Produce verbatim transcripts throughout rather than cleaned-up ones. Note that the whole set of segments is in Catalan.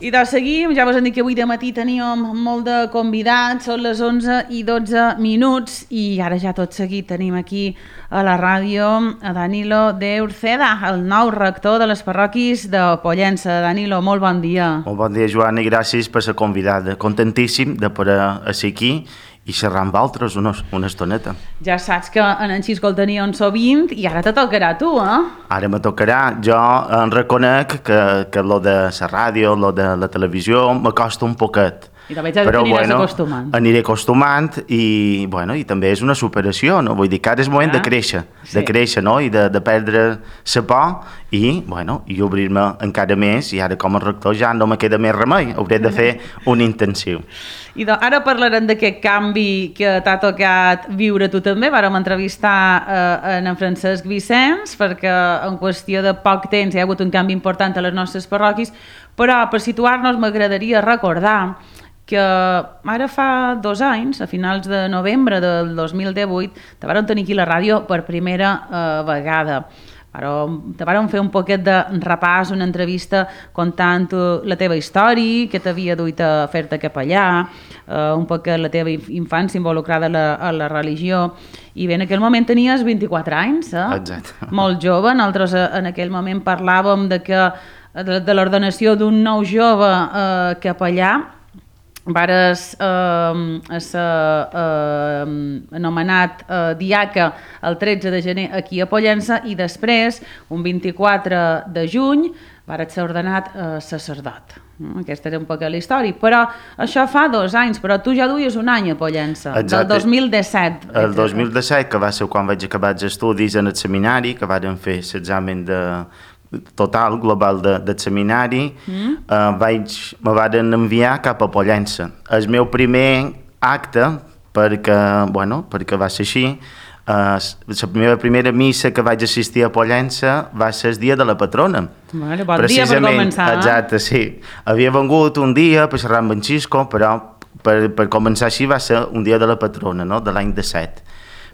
I doncs seguim, ja vos hem dit que avui de matí teníem molt de convidats, són les onze i dotze minuts i ara ja tot seguit tenim aquí a la ràdio a Danilo de Uceda, el nou rector de les parròquies de Pollença. Danilo, molt bon dia. Molt bon dia, Joan, i gràcies per la convidada. Contentíssim de poder ser aquí i xerrar amb altres una, una estoneta. Ja saps que en en Xisco el teníem sovint i ara te tocarà a tu, eh? Ara me tocarà. Jo em reconec que, que lo de la ràdio, lo de la televisió, m'acosta un poquet. I també ja t'aniràs bueno, acostumant. Aniré acostumant i, bueno, i també és una superació, no? Vull dir que ara és moment ah, de créixer, sí. de créixer, no? I de, de perdre la por i, bueno, i obrir-me encara més i ara com a rector ja no me queda més remei, hauré de fer un intensiu. I doncs, ara parlarem d'aquest canvi que t'ha tocat viure tu també. Vàrem entrevistar eh, en Francesc Vicenç perquè en qüestió de poc temps hi ha hagut un canvi important a les nostres parròquies, però per situar-nos m'agradaria recordar que ara fa dos anys, a finals de novembre del dos mil divuit, te vàrem tenir aquí la ràdio per primera eh, vegada. Te vàrem fer un poquet de repàs, una entrevista contant la teva història, que t'havia duit a fer-te capellà, eh, un poquet la teva infància involucrada a la, a la religió, i bé, en aquell moment tenies vint-i-quatre anys, eh? Exacte. Molt jove. Nosaltres en aquell moment parlàvem de, que, de, de l'ordenació d'un nou jove eh, capellà. Vares eh, ser eh, anomenat eh, diaca el tretze de gener aquí a Pollença i després, un vint-i-quatre de juny, vares ser ordenat eh, sacerdot. Aquesta era un poc la història, però això fa dos anys, però tu ja duies un any a Pollença, del dos mil disset. El dos mil disset, que va ser quan vaig acabar els estudis en el seminari, que vàrem fer l'examen de total, global de, del seminari, mm. eh, vaig, me van enviar cap a Pollença. El meu primer acte, perquè, bueno, perquè va ser així, eh, la meva primera missa que vaig assistir a Pollença va ser el dia de la patrona. Vale, bon dia per començar. Exacte, sí. Havia vengut un dia per xerrar amb en Xisco, però per, per començar així va ser un dia de la patrona, no?, de l'any disset.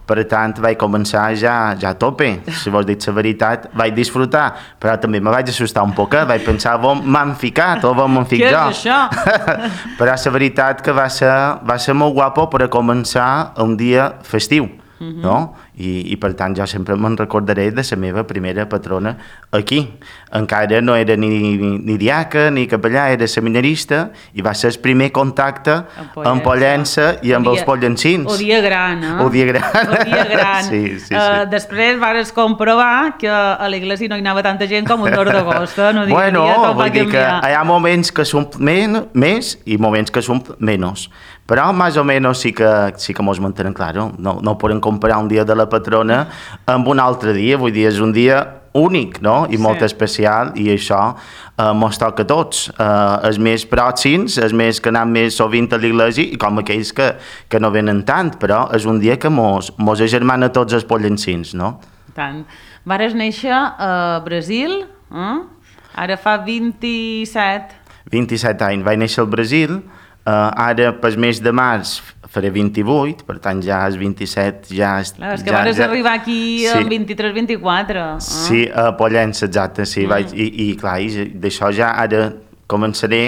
Per tant, vaig començar ja, ja a tope, si vols dir la veritat, vaig disfrutar, però també me vaig assustar un poc, vaig pensar on m'han ficat o on m'han ficat jo. Què és això? Però la veritat que va ser, va ser molt guapo per a començar un dia festiu, uh-huh. no? I, i per tant jo sempre me'n recordaré de la meva primera patrona aquí. Encara no era ni, ni, ni diaca ni capellà, era seminarista i va ser el primer contacte amb Pollença i amb els pollencins. O dia gran, eh? O dia gran. O dia gran. Sí, sí, sí. Uh, després vas comprovar que a l'església no hi anava tanta gent com un dor d'agost. No dia bueno, dia tot va vull dir que hi ha moments que són men més i moments que són menys. Però més o menys sí que, sí que mos mantenen, claro, no, no podem comparar un dia de la patrona amb un altre dia, vull dir, és un dia únic, no? I sí. molt especial, i això eh, mos toca a tots, eh, els més pròxims, els més que anem més sovint a l'església i com aquells que, que no venen tant, però és un dia que mos, mos agermana tots els pollencins, no? Tant. Vares néixer a Brasil, eh? Ara fa vint-i-set. vint-i-set anys, vaig néixer al Brasil. Uh, ara, pel mes de març, faré vint-i-vuit, per tant ja és vint-i-set, ja... Clar, és que ja, vas ja... arribar aquí sí. en vint-i-tres vint-i-quatre. Eh? Sí, a Pollença, exacte, sí, mm. vaig, i, i clar, d'això ja ara començaré.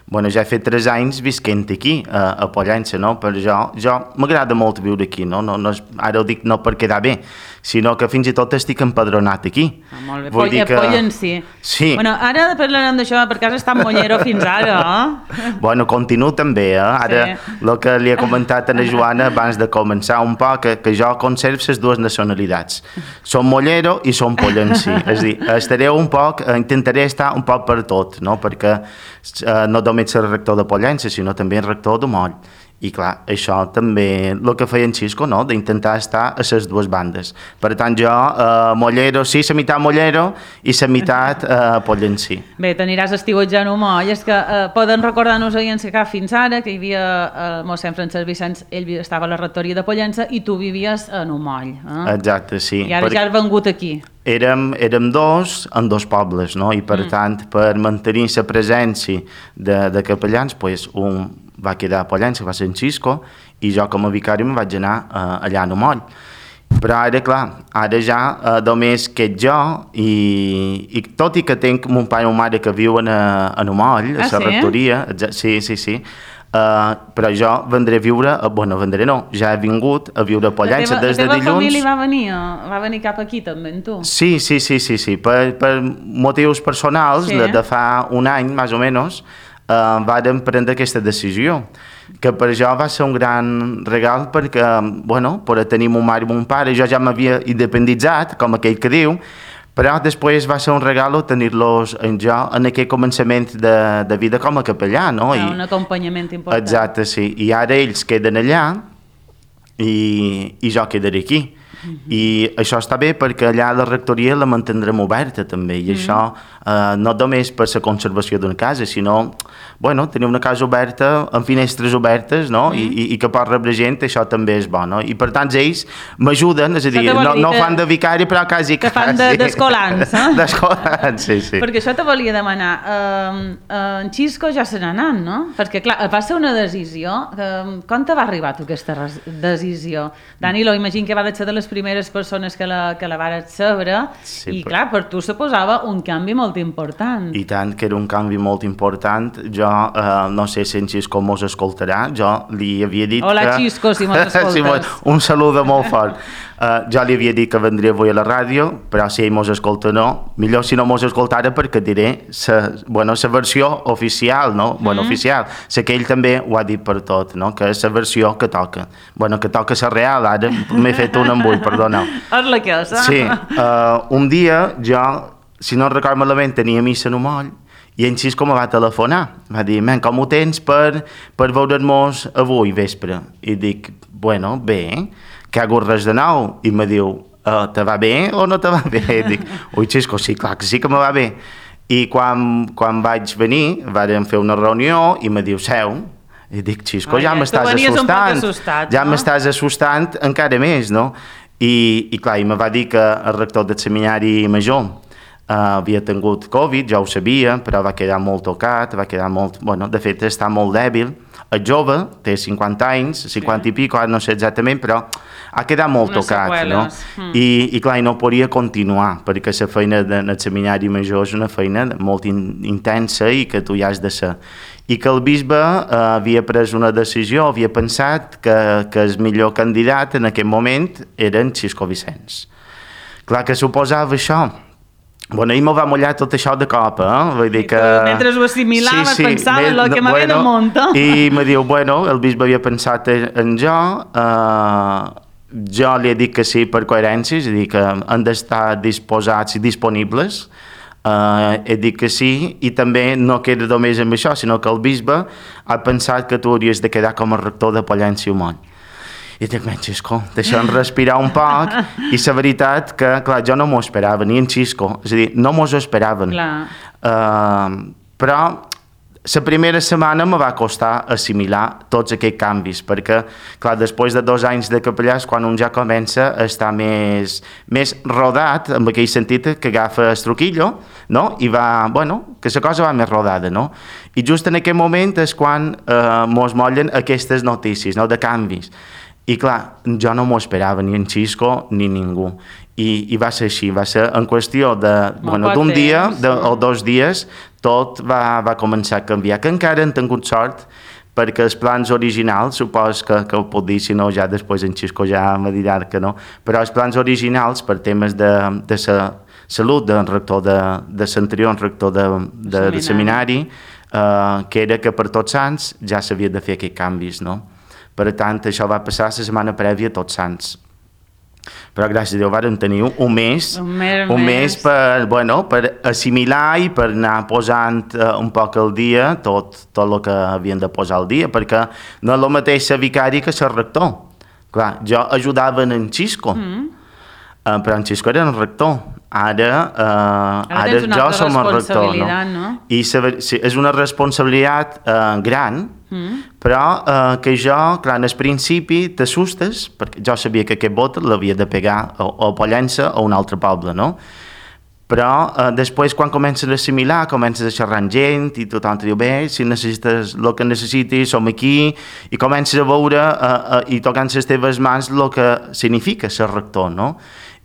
Bueno, ja he fet tres anys visquent aquí, a, a Pollença, no? Però jo, jo m'agrada molt viure aquí, no? No, no és, ara ho dic no per quedar bé, sinó que fins i tot estic empadronat aquí. Ah, molt bé, Vull dir que... Pollencí. Sí. Bueno, ara parlarem d'això, perquè has estat mollero fins ara, eh? Bueno, continuo també, eh? Ara, sí. El que li he comentat a la Joana abans de començar un poc, que, que jo conservo les dues nacionalitats. Som mollero i som pollencí. És a dir, estaré un poc, intentaré estar un poc per tot, no? Perquè eh, no només ser rector de Pollença, sinó també rector de Moll. I clar, això també el que feia en Xisco, no? D'intentar estar a les dues bandes. Per tant, jo, eh, mollero, sí, la meitat mollero i la meitat eh, pollencí. Bé, t'aniràs estiuetjant un moll. És que eh, poden recordar-nos ahir en Secà fins ara, que hi havia el mossèn Francesc Vicenç, ell estava a la rectoria de Pollença i tu vivies en un moll. Eh? Exacte, sí. I ara per... ja has vengut aquí. Érem, érem dos en dos pobles, no? I per mm. tant, per mantenir la presència de, de capellans, pues, un va quedar a Pollença, va ser en Xisco, i jo com a vicari me'n vaig anar uh, allà a Moll. Però ara, clar, ara ja eh, només que jo i, i tot i que tinc mon pare i mon mare que viuen a, a Nomoll, a Ah, la sí? rectoria, exa- sí, sí, sí, uh, però jo vendré a viure, uh, bueno, vendré no, ja he vingut a viure a La Pollença teva, la des de teva dilluns. família va venir, o- va venir cap aquí també, amb tu? Sí, sí, sí, sí, sí. Per, per motius personals, Sí. de, de fa un any, més o menys, eh, vàrem prendre aquesta decisió, que per jo va ser un gran regal perquè, bueno, per tenir mon mare i mon pare, jo ja m'havia independitzat, com aquell que diu, però després va ser un regal tenir-los en jo en aquell començament de, de vida com a capellà, no? Ah, un acompanyament important. Exacte, sí. I ara ells queden allà i, i jo quedaré aquí. Mm-hmm. I això està bé perquè allà la rectoria la mantindrem oberta també i mm-hmm. això eh, no només per la conservació d'una casa, sinó bueno, tenir una casa oberta amb finestres obertes, no? Mm-hmm. I, i, i que pot rebre gent, això també és bo, no? I per tant ells m'ajuden, és a dir, no, no fan de vicari però quasi que fan de, d'escolans, eh? D'escolans, sí, sí. Perquè això te volia demanar, uh, uh, en Xisco ja se n'ha anat, no? Perquè clar, va ser una decisió, uh, com te va arribar tu aquesta res- decisió? Danilo, imagino que va ser de les primeres persones que la, que la vares saber Sí, i però- clar, per tu suposava un canvi molt important. I tant, que era un canvi molt important. Jo eh, no sé si en Xisco mos escoltarà, jo li havia dit Hola, que... Xisco, si mos escoltes. Sí, mos- un saludo molt fort. Uh, jo li havia dit que vendria avui a la ràdio, però si ell mos escolta no, millor si no mos escoltara perquè diré sa, bueno, sa versió oficial, no? Mm. Bueno, oficial. Sé que ell també ho ha dit per tot, no? Que és la versió que toca. Bueno, que toca la real, ara m'he fet un embull, perdoneu. És la que és, eh? Sí, uh, un dia jo, si no recordo malament, tenia missa en un moll i en Xisco me va telefonar. Va dir, men, com ho tens per, per veure'ns avui vespre? I dic, bueno, bé, que ha hagut res de nou. I me diu, uh, te va bé o no te va bé? I dic, ui, Xisco, sí, clar que sí que me va bé. I quan, quan vaig venir, vàrem fer una reunió i me diu, seu. I dic, Xisco, Ai, ja ja, m'estàs tu venies un poc assustant. assustat, ja no? m'estàs assustant encara més, no? I, i clar, i me va dir que el rector del seminari major uh, havia tingut Covid, ja ho sabia, però va quedar molt tocat, va quedar molt... Bueno, de fet, està molt dèbil. És jove, té cinquanta anys, cinquanta sí. i pico, ara no sé exactament, però ha quedat molt Unes tocat, seqüeles. no? Mm. I, I clar, i no podia continuar, perquè la feina del seminari major és una feina molt in, intensa i que tu hi has de ser. I que el bisbe eh, havia pres una decisió, havia pensat que, que el millor candidat en aquell moment era en Xisco Vicenç. Clar que suposava això. Bueno, ell m'ho va mullar tot això de cop, eh? Vull dir que... Mentre ho assimilaves, pensava en lo que m'havia de muntar. I me diu, bueno, el bisbe havia pensat en jo, eh, jo li he dit que sí per coherència, és a dir, que han d'estar disposats i disponibles, Uh, he dit que sí, i també no queda només amb això, sinó que el bisbe ha pensat que tu hauries de quedar com a rector de Pollença i Humont. I dic, men, Xisco, deixa'm respirar un poc, i la veritat que, clar, jo no m'ho esperava, ni en Xisco, és a dir, no m'ho esperaven. Uh, però la primera setmana me va costar assimilar tots aquests canvis, perquè, clar, després de dos anys de capellà és quan un ja comença a estar més, més rodat, en aquell sentit que agafa el truquillo, no? I va, bueno, que la cosa va més rodada, no? I just en aquell moment és quan eh, mos mollen aquestes notícies, no?, de canvis. I clar, jo no m'ho esperava, ni en Xisco ni ningú. I, i va ser així, va ser en qüestió de, bueno, d'un dia de, o dos dies, tot va, va començar a canviar, que encara han tingut sort, perquè els plans originals, supos que, que ho puc dir, si no ja després en Xisco ja me dirà que no, però els plans originals per temes de, de sa, salut del rector de, de l'anterior rector de, de, de seminari, eh, que era que per Tots Sants ja s'havia de fer aquests canvis, no? Per tant, això va passar la setmana prèvia a Tots Sants. Però gràcies a Déu vàrem tenir un mes, un mes, un mes per, bueno, per assimilar i per anar posant uh, un poc al dia tot, tot el que havien de posar al dia, perquè no és el mateix ser vicari que ser rector. Clar, jo ajudava en Xisco, mm. uh, però en Xisco era el rector. Ara, uh, ara, ara jo som el rector, no? no? I saber, sí, és una responsabilitat uh, gran, mm. però uh, que jo, clar, en el principi t'assustes, perquè jo sabia que aquest vot l'havia de pegar o, o a Pollença o a un altre poble, no? però eh, després quan comences a assimilar, comences a xerrar amb gent i tothom te diu, bé, si necessites el que necessitis, som aquí, i comences a veure eh, eh, i tocant les teves mans el que significa ser rector, no?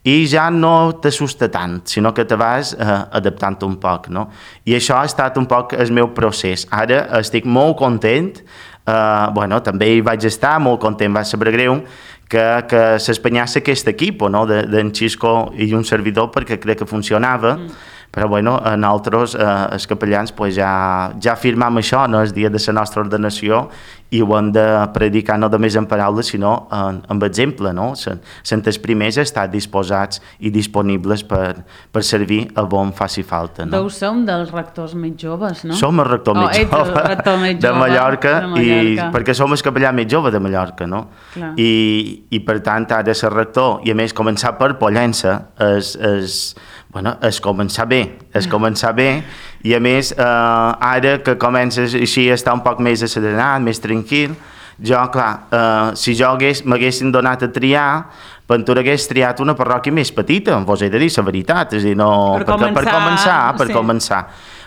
I ja no t'assusta tant, sinó que te vas eh, adaptant un poc, no? I això ha estat un poc el meu procés. Ara estic molt content, eh, bueno, també hi vaig estar, molt content, va saber greu, que, que s'espanyàs aquest equip, no?, d'en Xisco i un servidor, perquè crec que funcionava, mm. però bueno, nosaltres, eh, els capellans, pues ja, ja firmam això, no?, el dia de la nostra ordenació, i ho hem de predicar no només en paraules, sinó en, amb exemple, no? Sent els primers a estar disposats i disponibles per, per servir a on faci falta, no? Deu som dels rectors més joves, no? Som el rector, oh, més, jove rector més jove de Mallorca, de Mallorca. I, perquè som el capellà més jove de Mallorca, no? I, I per tant, ara ser rector, i a més començar per Pollença, és, és, bueno, és començar bé, és començar bé, i a més, eh, ara que comences així a estar un poc més asserenat, més tranquil, jo, clar, eh, si jo m'haguessin donat a triar, Ventura hagués triat una parròquia més petita, vos he de dir la veritat, és a dir, no, per, perquè, començar, per començar, per sí. començar.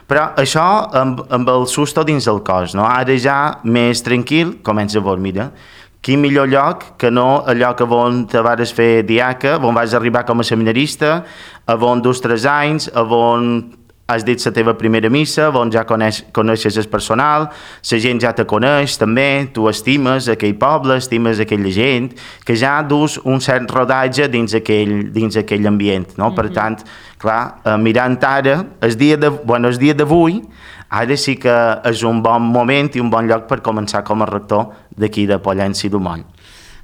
Però això amb, amb el susto dins del cos, no? Ara ja més tranquil, comença a veure, mira, quin millor lloc que no el lloc on te vas fer diaca, on vas arribar com a seminarista, on dus tres anys, on has dit la teva primera missa, on ja coneix, coneixes el personal, la gent ja te coneix també, tu estimes aquell poble, estimes aquella gent, que ja dus un cert rodatge dins aquell, dins aquell ambient, no? Mm-hmm. Per tant, clar, mirant ara, el dia de, bueno, el dia d'avui, ara sí que és un bon moment i un bon lloc per començar com a rector d'aquí de Pollença i d'Umoll.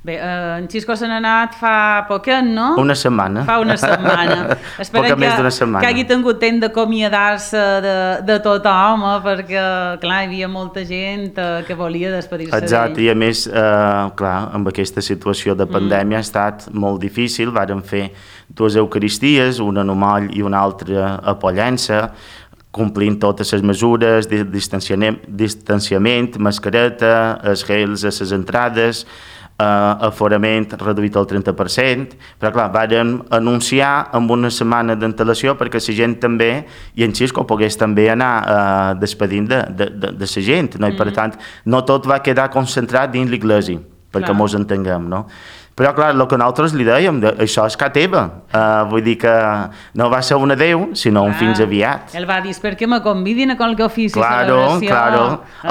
Bé, eh, en Xisco se n'ha anat fa poquet, no? Una setmana. Fa una setmana. Esperem més d'una setmana. Que hagi tingut temps d'acomiadar-se de, de tothom, eh, perquè, clar, hi havia molta gent eh, que volia despedir-se d'ell. Exacte, i a més, eh, clar, amb aquesta situació de pandèmia mm. ha estat molt difícil. Vàrem fer dues eucaristies, una a Umoll i una altra a Pollença, complint totes les mesures de distanciament, distanciament mascareta, els gels a les entrades, Uh, aforament reduït al trenta per cent, però clar, vàrem anunciar amb una setmana d'antelació perquè la gent també, i en Xisco pogués també anar uh, despedint de, de, de, de la gent, no? I per tant no tot va quedar concentrat dins l'església, perquè mos entenguem, no? Però, clar, el que nosaltres li dèiem, això és casa teva. Uh, vull dir que no va ser un adeu, sinó un fins aviat. Ell va dir, per què me convidin a qualque ofici, claro, celebració? Claro,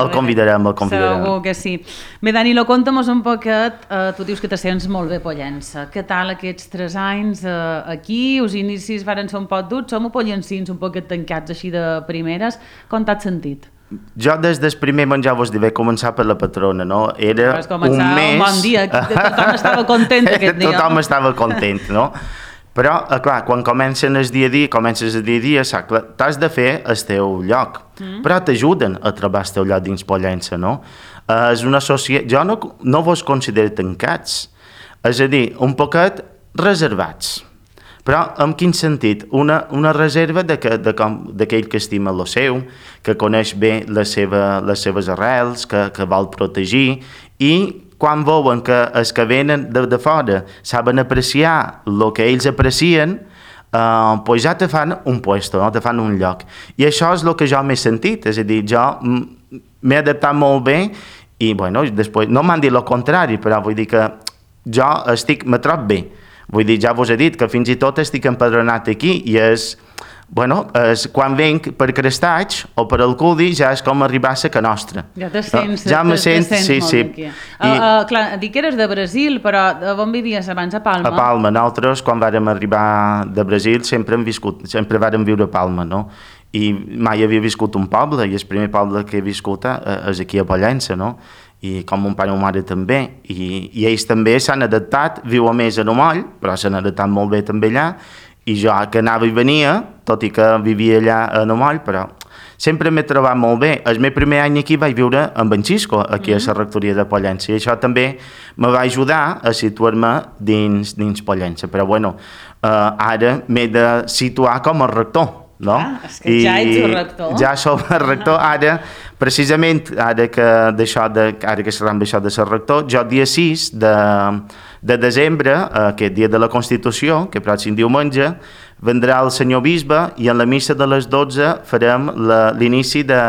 el convidarem, el convidarem. Segur que sí. Bé, Danilo, conta'm un poquet, uh, tu dius que te sents molt bé Pollença. Què tal aquests tres anys uh, aquí? Els inicis varen ser un poc durs, som pollencins un poquet tancats així de primeres. Com t'has sentit? Jo des del primer menjar vos diré començar per la patrona, no? Era un mes... un bon dia, tothom estava content aquest dia. Tothom estava content, no? Però, clar, quan comencen el dia a dia, comences el dia a dia, t'has de fer el teu lloc, mm. però t'ajuden a trobar el teu lloc dins Pollença, no? És una societat... Jo no, no vos considero tancats, és a dir, un poquet reservats. Però en quin sentit? Una, una reserva d'aquell que estima el seu, que coneix bé la seva, les seves arrels, que, que vol protegir, i quan veuen que els que venen de, de fora saben apreciar el que ells aprecien, eh, pues ja te fan un puesto, no? Te fan un lloc. I això és el que jo m'he sentit, és a dir, jo m'he adaptat molt bé i, bueno, després, no m'han dit el contrari, però vull dir que jo estic, me trobo bé. Vull dir, ja vos he dit que fins i tot estic empadronat aquí i és, bueno, és, quan venc per Crestaig o per Alcúdia ja és com arribar a Ca Nostra. Ja te sents, no? Ja me sent, te sents sí, molt sí. aquí. I, uh, uh, clar, dic que eres de Brasil, però on vivies abans? A Palma? A Palma. Nosaltres, quan vàrem arribar de Brasil, sempre hem viscut, sempre vàrem viure a Palma, no? I mai havia viscut un poble, i el primer poble que he viscut és aquí a Pollença, no? I com mon pare i mon mare també, i, i ells també s'han adaptat, viuen més a Umoll, però s'han adaptat molt bé també allà, i jo que anava i venia, tot i que vivia allà a Umoll, però sempre m'he trobat molt bé. El meu primer any aquí vaig viure amb en Xisco, aquí mm-hmm. a la rectoria de Pollença, i això també me va ajudar a situar-me dins, dins Pollença, però bueno, eh, ara m'he de situar com a rector, no? Ah, és que ja ets el rector. Ja som el rector, ara, precisament, ara que, d'això de, ara que xerram d'això de ser rector, jo dia sis de, de desembre, aquest dia de la Constitució, que pròxim diumenge, vendrà el senyor bisbe i en la missa de les dotze farem l'inici de,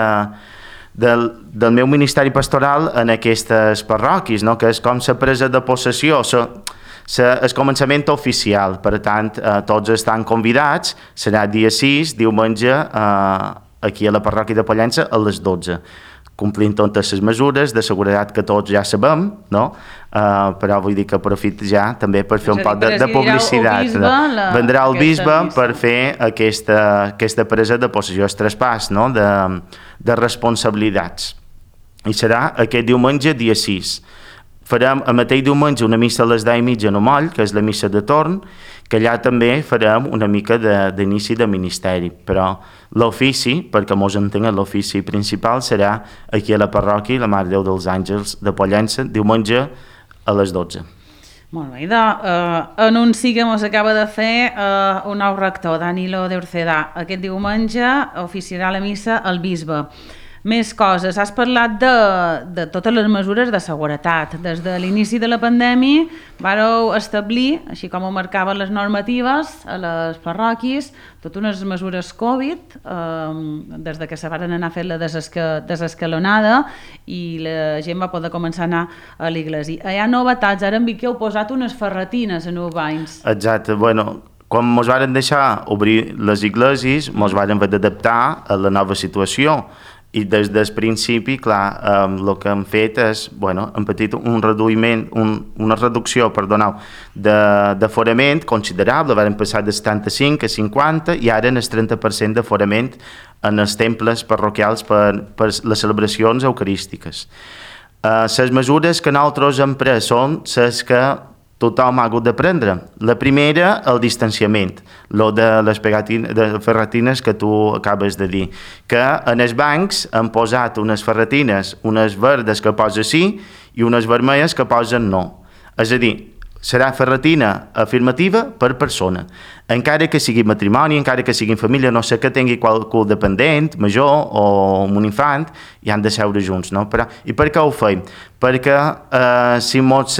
del, del meu ministeri pastoral en aquestes parròquies, no? Que és com la presa de possessió, la, la, el començament oficial. Per tant, eh, tots estan convidats, serà dia sis, diumenge, eh, aquí a la parròquia de Pollença a les dotze. Complint totes les mesures de seguretat que tots ja sabem, no? Uh, però vull dir que aprofit ja també per fer un poc de, de publicitat. Bisbe, la, Vendrà el bisbe missa. per fer aquesta, aquesta presa de possessió, el traspàs, no? de, de responsabilitats. I serà aquest diumenge, dia sis. Farem el mateix diumenge una missa a les deu i mitja a Moll, que és la missa de torn, que allà també farem una mica d'inici de, de ministeri, però l'ofici, perquè mos entenguen, l'ofici principal serà aquí a la parròquia la Mare Déu dels Àngels de Pollença, diumenge a les dotze. Molt bé, de, uh, anunci que mos acaba de fer uh, un nou rector, Danilo de Orcedà. Aquest diumenge oficiarà la missa el bisbe. Més coses. Has parlat de, de totes les mesures de seguretat. Des de l'inici de la pandèmia vareu establir, així com ho marcaven les normatives a les parròquies, totes unes mesures Covid, eh, des de que se van anar fent la desesca, desescalonada i la gent va poder començar a anar a l'església. Hi ha novetats, ara em vi que heu posat unes ferretines a Nou Banys. Exacte, bueno, quan mos varen deixar obrir les iglesias, mos varen haver d'adaptar a la nova situació. I des del principi, clar, eh, el que hem fet és, bueno, hem patit un reduïment, un, una reducció, perdoneu, d'aforament considerable, vam passar de setanta-cinc a cinquanta i ara en el trenta per cent d'aforament en els temples parroquials per, per les celebracions eucarístiques. Eh, les mesures que nosaltres hem pres són les que tothom ha hagut de prendre. La primera, el distanciament, lo de les de ferretines que tu acabes de dir, que en els bancs han posat unes ferretines, unes verdes que posa sí i unes vermelles que posen no. És a dir, serà ferretina afirmativa per persona. Encara que sigui matrimoni, encara que sigui família, no sé que tingui qualcú dependent, major o un infant, i han de seure junts, no? Però, i per què ho feim? Perquè eh, si mos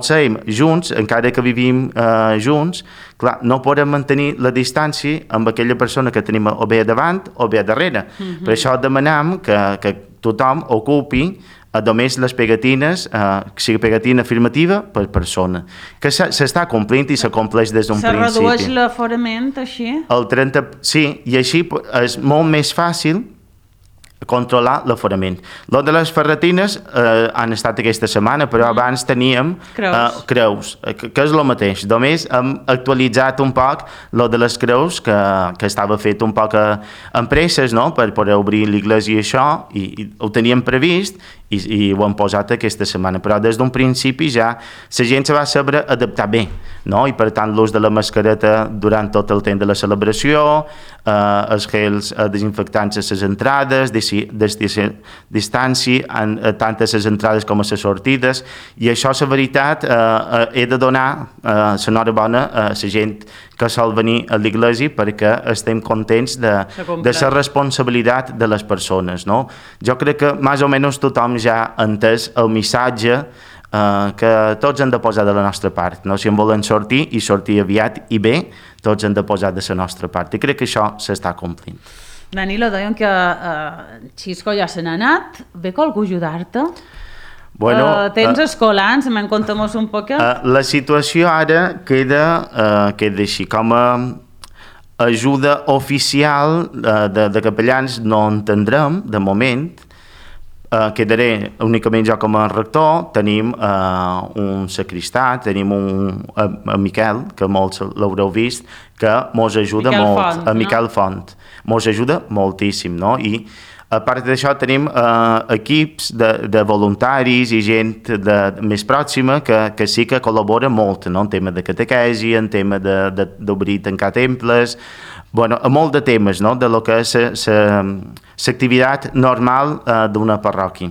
seiem junts, encara que vivim eh, junts, clar, no podem mantenir la distància amb aquella persona que tenim o bé davant o bé darrere. Mm-hmm. Per això demanem que, que tothom ocupi a només les pegatines, eh, que sigui pegatina afirmativa per persona, que s'està complint i s'acompleix des d'un principi. Se redueix l'aforament així? El trenta, sí, i així és molt més fàcil controlar l'aforament. Lo de les ferretines eh, han estat aquesta setmana, però abans teníem creus, eh, creus que, que és el mateix. Només hem actualitzat un poc lo de les creus, que, que estava fet un poc a, en presses, no?, per poder obrir l'església i això, i, i ho teníem previst, i, i ho hem posat aquesta setmana. Però des d'un principi ja la gent se va saber adaptar bé, no?, i per tant l'ús de la mascareta durant tot el temps de la celebració, eh, els gels eh, desinfectants a les entrades, distància en, eh, tant a les entrades com a les sortides, i això, la veritat, eh, eh, he de donar eh, l'enhorabona a la gent que sol venir a l'església perquè estem contents de, de la responsabilitat de les persones, no? Jo crec que més o menys tothom ja ha entès el missatge eh, que tots hem de posar de la nostra part, no? Si en volen sortir i sortir aviat i bé, tots hem de posar de la nostra part, i crec que això s'està complint. Danilo, deien que uh, Xisco ja se n'ha anat, ve qualcú a ajudar-te? Bueno, uh, tens uh, escolans, me'n contem-nos un poc. Uh, la situació ara queda, uh, queda així, com a ajuda oficial uh, de, de capellans no en tindrem, de moment. Uh, quedaré únicament jo com a rector, tenim uh, un sacristà, tenim un uh, a Miquel, que molts l'haureu vist, que mos ajuda Miquel molt, Font, a Miquel no? Font, mos ajuda moltíssim, no? I a part d'això tenim eh, equips de, de voluntaris i gent de, de, més pròxima que, que sí que col·labora molt, no? En tema de catequesi, en tema d'obrir i tancar temples, bueno, a molt de temes, no? De lo que és l'activitat normal eh, d'una parròquia.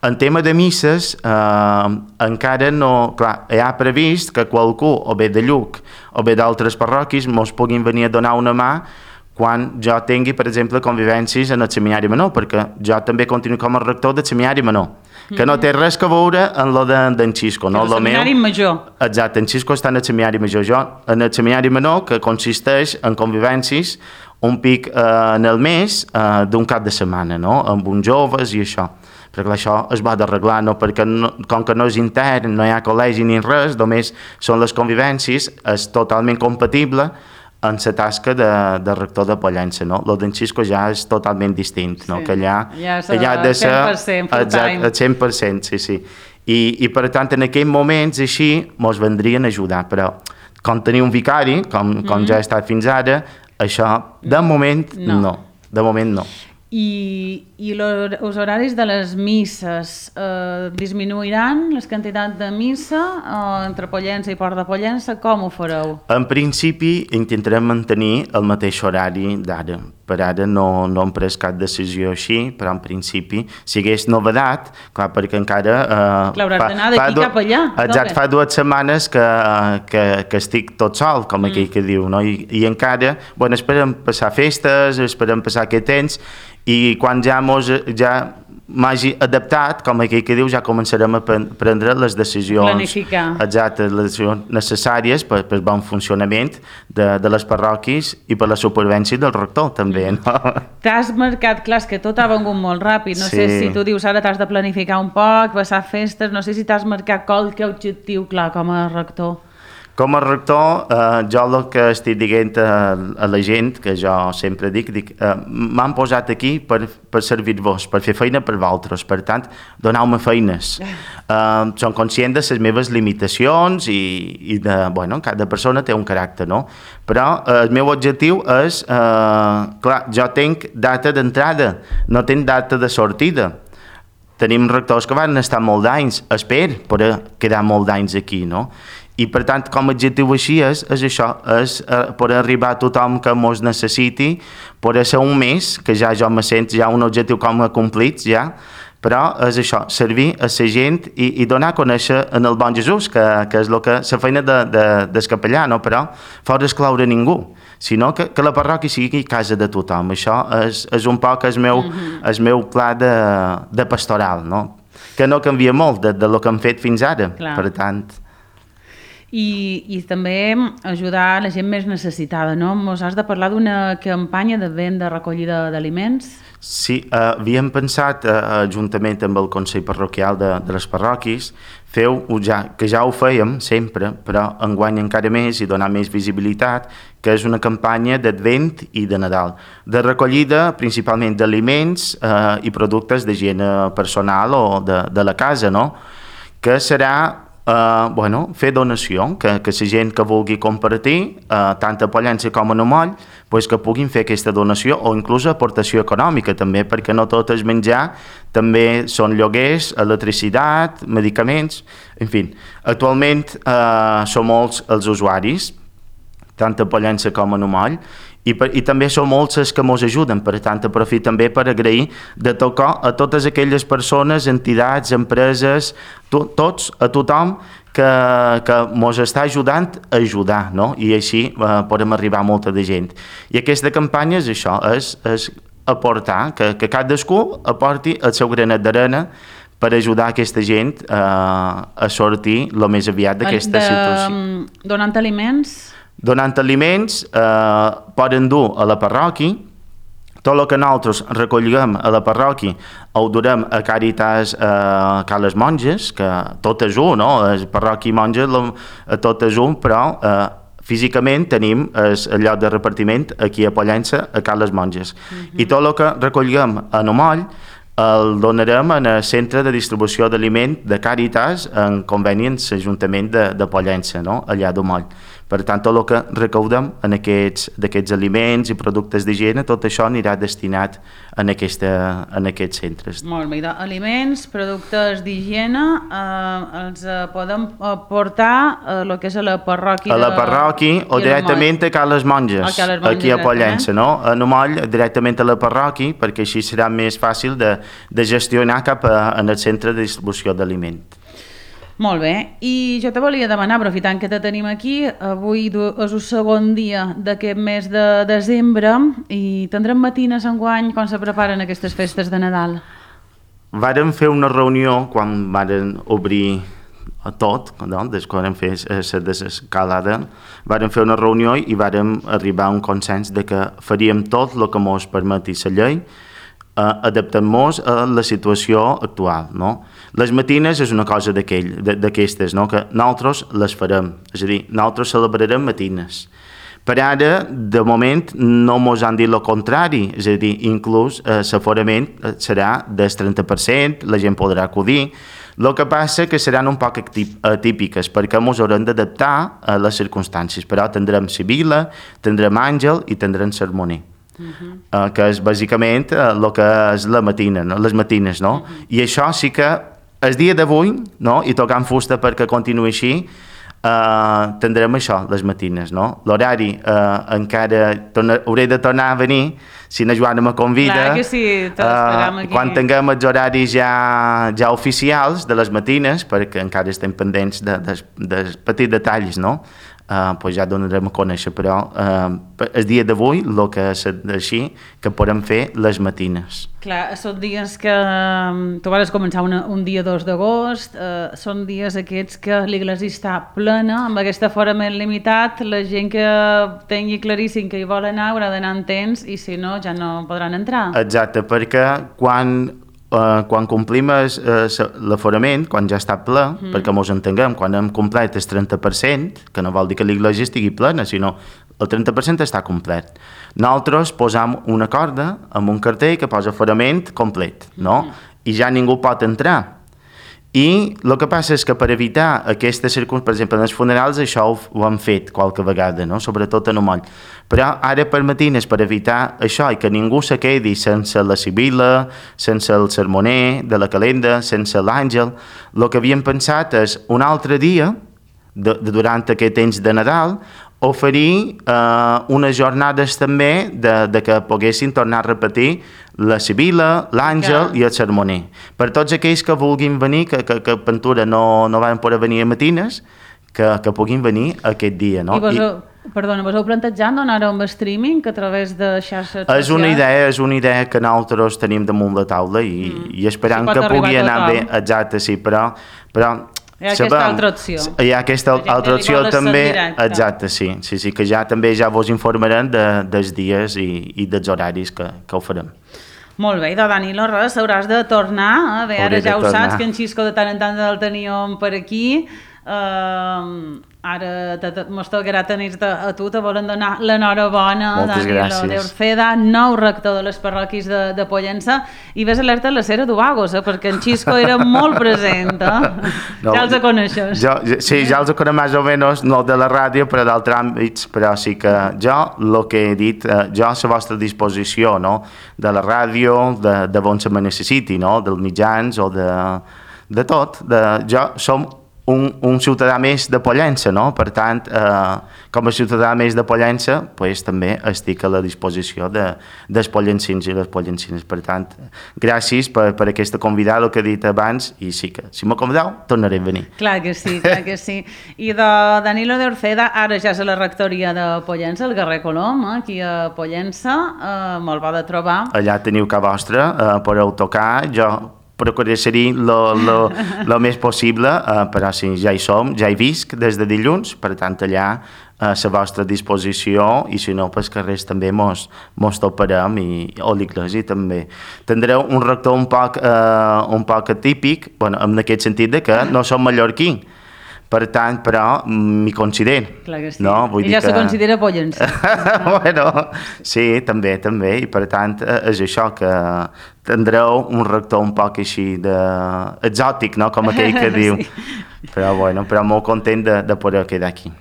En tema de misses, eh, encara no, clar, hi ha previst que qualcú, o bé de Lluc o bé d'altres parròquies, mos puguin venir a donar una mà quan jo tingui, per exemple, convivències en el seminari menor, perquè jo també continuo com a rector del seminari menor, que no té res a veure amb lo d'en de, Xisco. No? El seminari meu... major. Exacte, en Xisco està en el seminari major. Jo en el seminari menor, que consisteix en convivències un pic eh, en el mes eh, d'un cap de setmana, no? Amb uns joves i això. Perquè això es va d'arreglar, no? Perquè no, com que no és intern, no hi ha col·legi ni res, només són les convivències, és totalment compatible en la tasca de, de rector de Pollença, no? Lo d'en Xisco ja és totalment distint, no? Sí. Que allà, ja allà ha de ser cent per cent full time. El cent per cent, sí, sí. I, i per tant, en aquells moments així mos vendrien a ajudar, però com tenir un vicari, com, com mm. ja ha estat fins ara, això de moment no, no. De moment no. I, i els horaris de les misses eh, disminuiran les quantitats de missa eh, entre Pollença i Port de Pollença? Com ho fareu? En principi intentarem mantenir el mateix horari d'ara. Per ara no, no hem pres cap decisió així, però en principi, si hagués novedat, clar, perquè encara... Eh, clar, hauràs d'anar d'aquí cap allà. Exacte, fa dues setmanes que, que, que estic tot sol, com aquell mm. que diu, no? I, i encara, bueno, esperem passar festes, esperem passar aquest temps, i quan ja mos, ja m'hagi adaptat, com aquell que diu, ja començarem a prendre les decisions Planificar. Exactes, les decisions necessàries per, per bon funcionament de, de les parròquies i per la supervivència del rector, també, no? T'has marcat, clar, és que tot ha vengut molt ràpid, no sí. sé si tu dius ara t'has de planificar un poc, passar festes, no sé si t'has marcat qualque objectiu clar com a rector. Com a rector, eh, jo el que estic dient a, a la gent, que jo sempre dic, dic eh, m'han posat aquí per, per servir-vos, per fer feina per vosaltres, per tant, doneu-me feines. Eh, som conscient de les meves limitacions i, i de, bueno, cada persona té un caràcter, no? Però eh, el meu objectiu és, eh, clar, jo tinc data d'entrada, no tinc data de sortida. Tenim rectors que van estar molt d'anys, espero poder quedar molt d'anys aquí, no? I per tant, com a objectiu així és, és això, és eh, poder arribar a tothom que mos necessiti, poder ser un mes, que ja jo me sent ja un objectiu com a complit, ja, però és això, servir a la gent i, i donar a conèixer en el bon Jesús, que, que és lo que, la feina de, de, del capellà, no? Però fora excloure ningú, sinó que, que la parròquia sigui casa de tothom. Això és, és un poc el meu, mm-hmm. el meu pla de, de pastoral, no? Que no canvia molt de, de lo que hem fet fins ara, clar. Per tant... I, i també ajudar la gent més necessitada, no? Mos has de parlar d'una campanya de venda recollida d'aliments? Sí, eh, havíem pensat, eh, juntament amb el Consell Parroquial de, de les parròquies, feu, ja, que ja ho fèiem sempre, però enguany encara més i donar més visibilitat, que és una campanya d'Advent i de Nadal, de recollida principalment d'aliments eh, i productes d'higiene personal o de, de la casa, no? Que serà Uh, bueno, fer donació, que, que la gent que vulgui compartir, uh, tant a Pollença com a Nomoll, pues que puguin fer aquesta donació o inclús aportació econòmica també, perquè no tot és menjar, també són lloguers, electricitat, medicaments, en fi. Actualment uh, són molts els usuaris, tant a Pollença com a Nomoll, I, per, i també són molts els que ens ajuden, per tant aprofit també per agrair de tot cor a totes aquelles persones, entitats, empreses, to, tots, a tothom que, que ens està ajudant a ajudar, no? I així eh, podem arribar a molta de gent. I aquesta campanya és això, és, és aportar, que, que cadascú aporti el seu granet d'arena per ajudar aquesta gent eh, a sortir el més aviat d'aquesta situació. Donant aliments? Donant aliments, eh, poden dur a la parròquia, tot el que nosaltres recollirem a la parròquia ho durem a Càritas eh, Cal les Monges, que tot és un, no? És parròquia i monges, tot és un, però eh, físicament tenim el lloc de repartiment aquí a Pollença, a Cal les Monges. Uh-huh. I tot el que recollirem a Nomoll el donarem en el centre de distribució d'aliment de Càritas en conveni amb l'Ajuntament de, de Pollença, no? Allà a Nomoll. Per tant, tot el que recaudem en aquests, d'aquests aliments i productes d'higiene, tot això anirà destinat en, aquesta, en aquests centres. Molt bé, aliments, productes d'higiene, eh, els eh, podem portar a el que és a la parròquia. A la parròquia o directament a Cal les Monges, Monges aquí a Pollença, no? A Nomoll directament a la parròquia, perquè així serà més fàcil de, de gestionar cap a, en el centre de distribució d'aliment. Molt bé, i jo te volia demanar, aprofitant que te tenim aquí, avui és el segon dia d'aquest mes de desembre i tindrem matines enguany quan se preparen aquestes festes de Nadal. Vàrem fer una reunió quan varen obrir tot, no? Des que vam fer la desescalada, vàrem fer una reunió i vàrem arribar a un consens de que faríem tot el que ens permeti la llei, Uh, adaptant-nos a la situació actual, no? Les matines és una cosa d'aquestes, no? Que nosaltres les farem, és a dir, nosaltres celebrarem matines. Per ara, de moment, no ens han dit el contrari, és a dir, inclús uh, l'aforament serà del trenta per cent, la gent podrà acudir. El que passa que seran un poc atípiques, perquè ens haurem d'adaptar a les circumstàncies, però tindrem Sibila, tindrem Àngel i tindrem Sermoner. Uh-huh. uh, que és bàsicament el uh, que és la matina, no? Les matines, no? Uh-huh. I això sí que el dia d'avui, no? I tocant fusta perquè continuï així, uh, tindrem això, les matines, no? L'horari uh, encara torna, hauré de tornar a venir si na Joana me convida. Clar que sí, t'esperem aquí. Uh, quan tinguem els horaris ja, ja oficials de les matines, perquè encara estem pendents de, de, de petits detalls, no? Uh, pues ja donarem a conèixer, però uh, el dia d'avui el que és així que podem fer les matines. Clar, són dies que um, tu vas començar una, un dia dos d'agost, uh, són dies aquests que l'església està plena, amb aquest aforament limitat, la gent que tingui claríssim que hi vol anar haurà d'anar en temps i si no ja no podran entrar. Exacte, perquè quan Uh, quan complim uh, l'aforament, quan ja està ple, mm. perquè ens entenguem, quan hem complet el trenta per cent, que no vol dir que l'església estigui plena, sinó el trenta per cent està complet. Nosaltres posam una corda amb un cartell que posa aforament complet, no? Mm. I ja ningú pot entrar. I el que passa és que per evitar aquestes circumstàncies, per exemple, en els funerals això ho, ho han fet qualque vegada, no? Sobretot en el moll. Però ara per matines, per evitar això i que ningú se quedi sense la Sibila, sense el sermoner de la calenda, sense l'àngel, el que havíem pensat és un altre dia, de, de durant aquest temps de Nadal, oferir eh, unes jornades també de, de que poguessin tornar a repetir la Sibila, l'Àngel i el sermoner. Per tots aquells que vulguin venir, que, que, que Pentura no, no van poder venir a matines, que, que puguin venir aquest dia. No? I vos, I, perdona, vos heu plantejat donar un streaming a través de xarxes socials? És una idea, és una idea que nosaltres tenim damunt la taula i, mm. i esperant que pugui anar bé. Exacte, sí, però... però hi ha aquesta sabem, altra opció. Hi ha aquesta altra opció també, exacte, sí, sí, sí, que ja també ja vos informaran de, dels dies i, i dels horaris que, que ho farem. Molt bé, doncs Danilo, res, hauràs de tornar, eh? Bé, ara ja ho tornar. Saps, que en Xisco de tant en tant el teníem per aquí, uh, ara mos tocarà tenir-te a tu, te volen donar l'enhorabona, Danilo de Orceda, nou rector de les parròquies de, de Pollença, i ves alerta a la Sera d'Ubagos, eh? Perquè en Xisco era molt present, eh? No, ja els coneixes. Jo, sí, ja els conec més o menys, no de la ràdio, però d'altres àmbits, però sí que jo, el que he dit, eh, jo a la vostra disposició, no? De la ràdio, de, de on se me necessiti, no? Dels mitjans o de, de tot, de, jo som Un, un ciutadà més de Pollença, no? Per tant, eh, com a ciutadà més de Pollença, pues, també estic a la disposició de, dels pollencins i les pollencines. Per tant, gràcies per, per aquesta convidada, el que he dit abans, i sí que, si m'ho convideu, tornaré a venir. Clar que sí, clar que sí. I de Danilo de Orceda, ara ja és a la rectoria de Pollença, el Guerrer Colom, eh, aquí a Pollença, eh, me'l va de trobar. Allà teniu que vostre, eh, podeu tocar, jo procuraré ser-hi el més possible, eh, però sí, ja hi som, ja hi visc des de dilluns, per tant allà a la vostra disposició i si no, pels carrers també mos, mos toparem i, o l'església també. Tindreu un rector un poc, eh, un poc atípic, bueno, en aquest sentit de que no som mallorquí, per tant, però m'hi considero. Clar que sí. No? Vull I ja que... se considera pollença. Bueno, sí, també, també, i per tant és això, que tindreu un rector un poc així de... exòtic, no? Com aquell que diu. Sí. Però, bueno, però molt content de, de poder quedar aquí.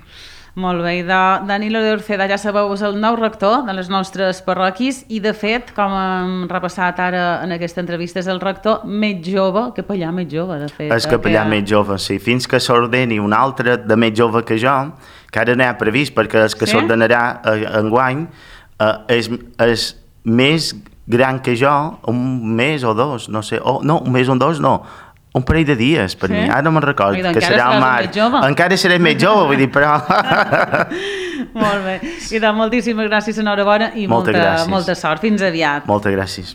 Molt bé, i de Danilo de Orceda, ja sabeu, és el nou rector de les nostres parròquies i, de fet, com hem repassat ara en aquesta entrevista, és el rector més jove, capellà més jove, de fet. És capellà que... més jove, sí. Fins que s'ordeni un altre de més jove que jo, que ara n'hi ha previst, perquè el que sí? s'ordenarà enguany eh, és, és més gran que jo, un mes o dos, no sé, oh, no, un mes o dos no, Un parell de dies, per Sí? mi. Ara no me'n recordo, Ai, doncs que encara serà al seràs mar. més jove. Encara seré més jove, vull dir, però... Molt bé. I doncs moltíssimes gràcies, enhorabona, i Moltes molta, gràcies. molta sort. Fins aviat. Moltes gràcies.